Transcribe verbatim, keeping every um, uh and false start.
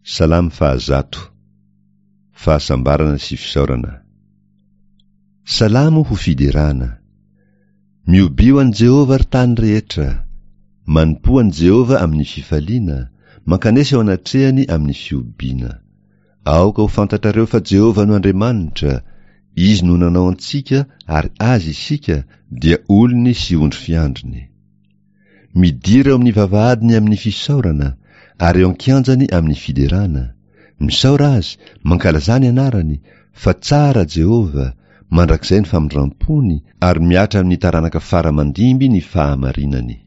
Salamo fahazato. Fahasambarana sy fisaorana. Salamo ho fiderana. Miobio an'i Jehovah, ry tany rehetra. Manompoa an'i Jehovah amin'ny fifaliana, mankanesa eo anatrehany amin'ny fihobiana. Aoka ho fantatrareo fa Jehovah no Andriamanitra, Izy no nanao antsika ary Azy isika, dia olony sy ondry fiandriny. Midira eo amin'ny vavahadiny amin'ny fisaorana, ary eo an-kianjany amin'ny fiderana. Misaora Azy, mankalazà ny anarany, fa tsara Jehovah, mandrakizay ny famindram-pony, ary mihatra amin'ny taranaka fara mandimby ny fahamarinany.